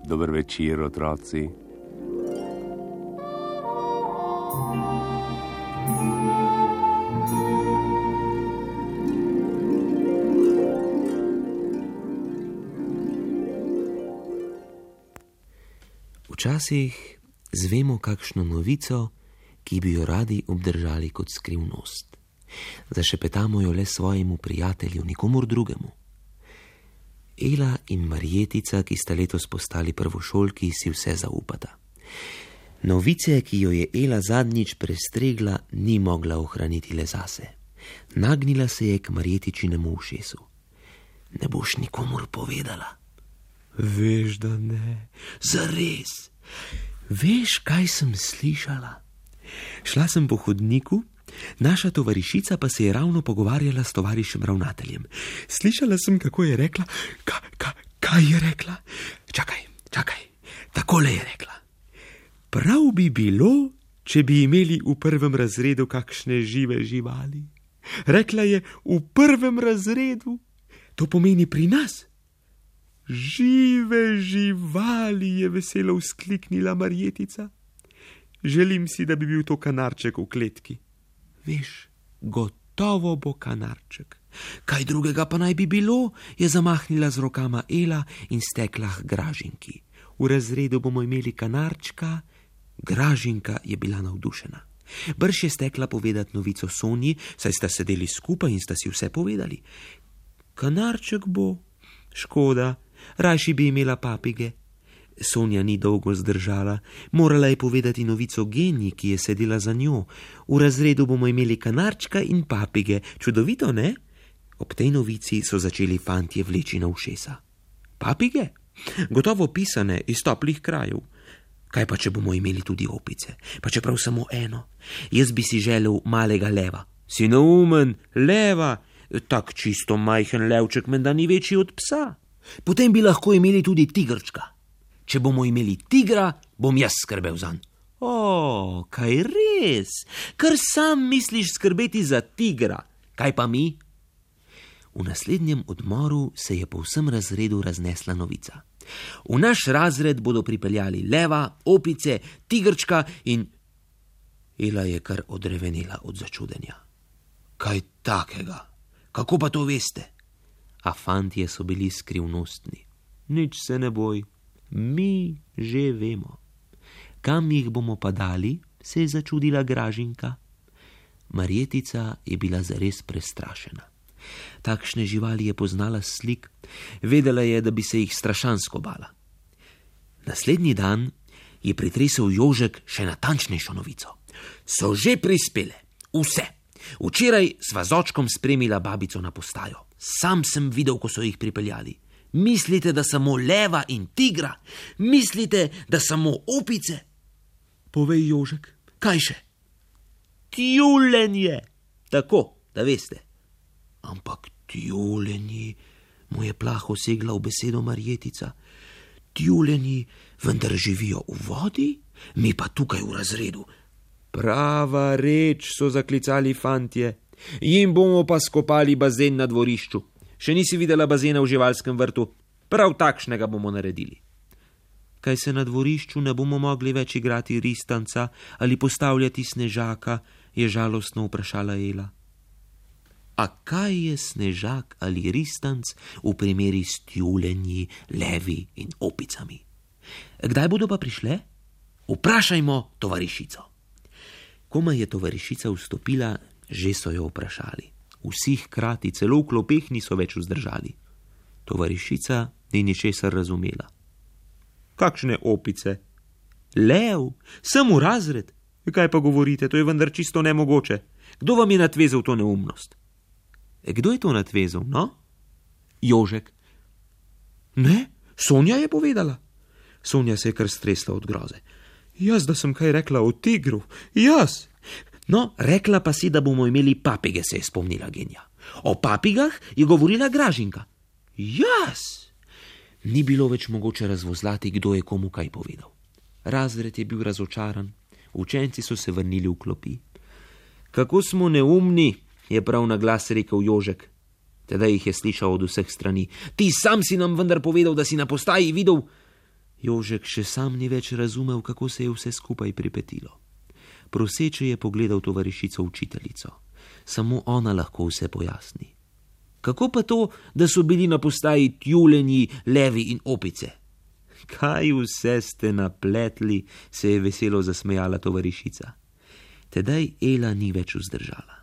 Dober večer, otroci. Včasih zvemo kakšno novico, ki bi jo radi obdržali kot skrivnost. Zašepetamo jo le svojemu prijatelju, nikomur drugemu. Ela in Marjetica, ki sta letos postali prvošolki, si vse zaupata. Novice, ki jo je Ela zadnjič prestregla, ni mogla ohraniti le zase. Nagnila se je k Marjetičinemu ušesu. Ne boš nikomur povedala? Veš, da ne. Zares? Veš, kaj sem slišala? Šla sem po hodniku, naša tovarišica pa se je ravno pogovarjala s tovarišem ravnateljem. Slišala sem, kako je rekla. Kaj je rekla? Čakaj, takole je rekla. Prav bi bilo, če bi imeli v prvem razredu kakšne žive živali. Rekla je, v prvem razredu. To pomeni pri nas. Žive živali, je veselo vzkliknila Marjetica. Želim si, da bi bil to kanarček v kletki. Veš, gotovo bo kanarček. Kaj drugega pa naj bi bilo, je zamahnila z rokama Ela in stekla k Gražinki. V razredu bomo imeli kanarčka. Gražinka je bila navdušena. Brž je stekla povedati novico Sonji, saj sta sedeli skupaj in sta si vse povedali. Kanarček bo. Škoda, rajši bi imela papige. Sonja ni dolgo zdržala, morala je povedati novico Genji, ki je sedela za njo. V razredu bomo imeli kanarčka in papige, čudovito, ne? Ob tej novici so začeli fantje vleči na ušesa. Papige? Gotovo pisane iz toplih krajev. Kaj pa, če bomo imeli tudi opice? Pa čeprav samo eno. Jaz bi si želel malega leva. Si neumen, leva? Tak čisto majhen levček menda ni večji od psa. Potem bi lahko imeli tudi tigrčka. Če bomo imeli tigra, bom jaz skrbel zanj. O, kaj res? Kar sam misliš skrbeti za tigra. Kaj pa mi? V naslednjem odmoru se je po vsem razredu raznesla novica. V naš razred bodo pripeljali leva, opice, tigrčka in... Ela je kar odrevenela od začudenja. Kaj takega? Kako pa to veste? A fantje so bili skrivnostni. Nič se ne boj. Mi že vemo. Kam jih bomo pa dali, se je začudila Gražinka. Marjetica je bila zares prestrašena. Takšne živali je poznala s slik, vedela je, da bi se jih strašansko bala. Naslednji dan je pritresel Jožek še natančnejšo novico. So že prispele, vse. Včeraj sva z očkom spremila babico na postajo. Sam sem videl, ko so jih pripeljali. Mislite, da samo leva in tigra? Mislite, da samo opice? Povej, Jožek, kaj še? Tjulenje. Tako, da veste. Ampak tjulenji, mu je plaho segla v besedo Marjetica. Tjulenji vendar živijo v vodi, mi pa tukaj v razredu. Prava reč, so zaklicali fantje. Jim bomo pa skopali bazen na dvorišču. Še nisi videla bazena v živalskem vrtu? Prav takšnega bomo naredili. Kaj se na dvorišču ne bomo mogli več igrati ristanca ali postavljati snežaka, je žalostno vprašala Ela. A kaj je snežak ali ristanc v primeri s tjulenji, levi in opicami? Kdaj bodo pa prišle? Vprašajmo tovarišico. Komaj je tovarišica vstopila, že so jo vprašali. Vsi hkrati, celo v klopeh niso več vzdržali. Tovarišica ni ničesar razumela. Kakšne opice? Lev, sem v razred. Kaj pa govorite, to je vendar čisto nemogoče. Kdo vam je natvezal to neumnost? Kdo je to natvezal, no? Jožek. Ne, Sonja je povedala. Sonja se je kar stresla od groze. Jaz, da sem kaj rekla o tigru, jaz! No, rekla pa si, da bomo imeli papige, se je spomnila Genja. O papigah je govorila Gražinka. Jaz! Ni bilo več mogoče razvozlati, kdo je komu kaj povedal. Razred je bil razočaran, učenci so se vrnili v klopi. Kako smo neumni, je prav na glas rekel Jožek. Tedaj jih je slišal od vseh strani. Ti sam si nam vendar povedal, da si na postaji videl. Jožek še sam ni več razumel, kako se je vse skupaj pripetilo. Proseče je pogledal tovarišico učiteljico. Samo ona lahko vse pojasni. Kako pa to, da so bili na postaji tjulenji, levi in opice? Kaj vse ste napletli, se je veselo zasmejala tovarišica. Tedaj Ela ni več vzdržala.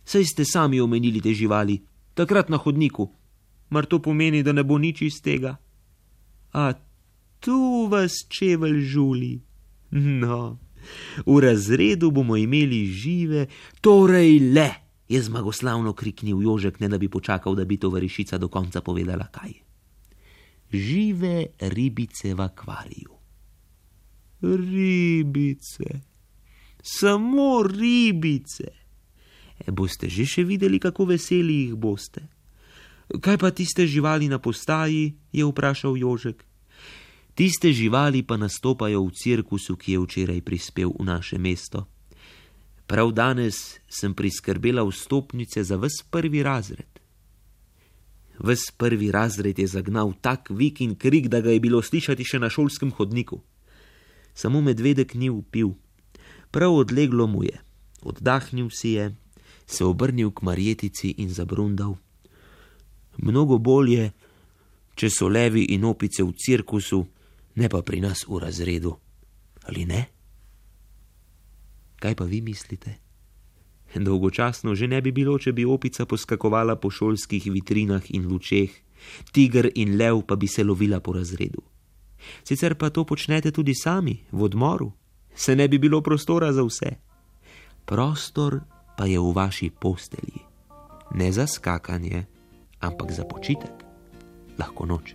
Saj ste sami omenili te živali, takrat na hodniku. Mar to pomeni, da ne bo nič iz tega? A tu vas čevelj žuli. No, v razredu bomo imeli žive, torej le, je zmagoslavno kriknil Jožek, ne da bi počakal, da bi tovarišica do konca povedala kaj. Žive ribice v akvariju. Ribice, samo ribice. Boste že še videli, kako veseli jih boste. Kaj pa tiste živali na postaji, je vprašal Jožek. Tiste živali pa nastopajo v cirkusu, ki je včeraj prispel v naše mesto. Prav danes sem priskrbela vstopnice za ves prvi razred. Ves prvi razred je zagnal tak vik in krik, da ga je bilo slišati še na šolskem hodniku. Samo medvedek ni vpil. Prav odleglo mu je. Oddahnil si je, se obrnil k Marjetici in zabrundal. Mnogo bolje, če so levi in opice v cirkusu, ne pa pri nas v razredu. Ali ne? Kaj pa vi mislite? Dolgočasno že ne bi bilo, če bi opica poskakovala po šolskih vitrinah in lučeh, tiger in lev pa bi se lovila po razredu. Sicer pa to počnete tudi sami, v odmoru. Se ne bi bilo prostora za vse. Prostor pa je v vaši postelji. Ne za skakanje, ampak za počitek. Lahko noč.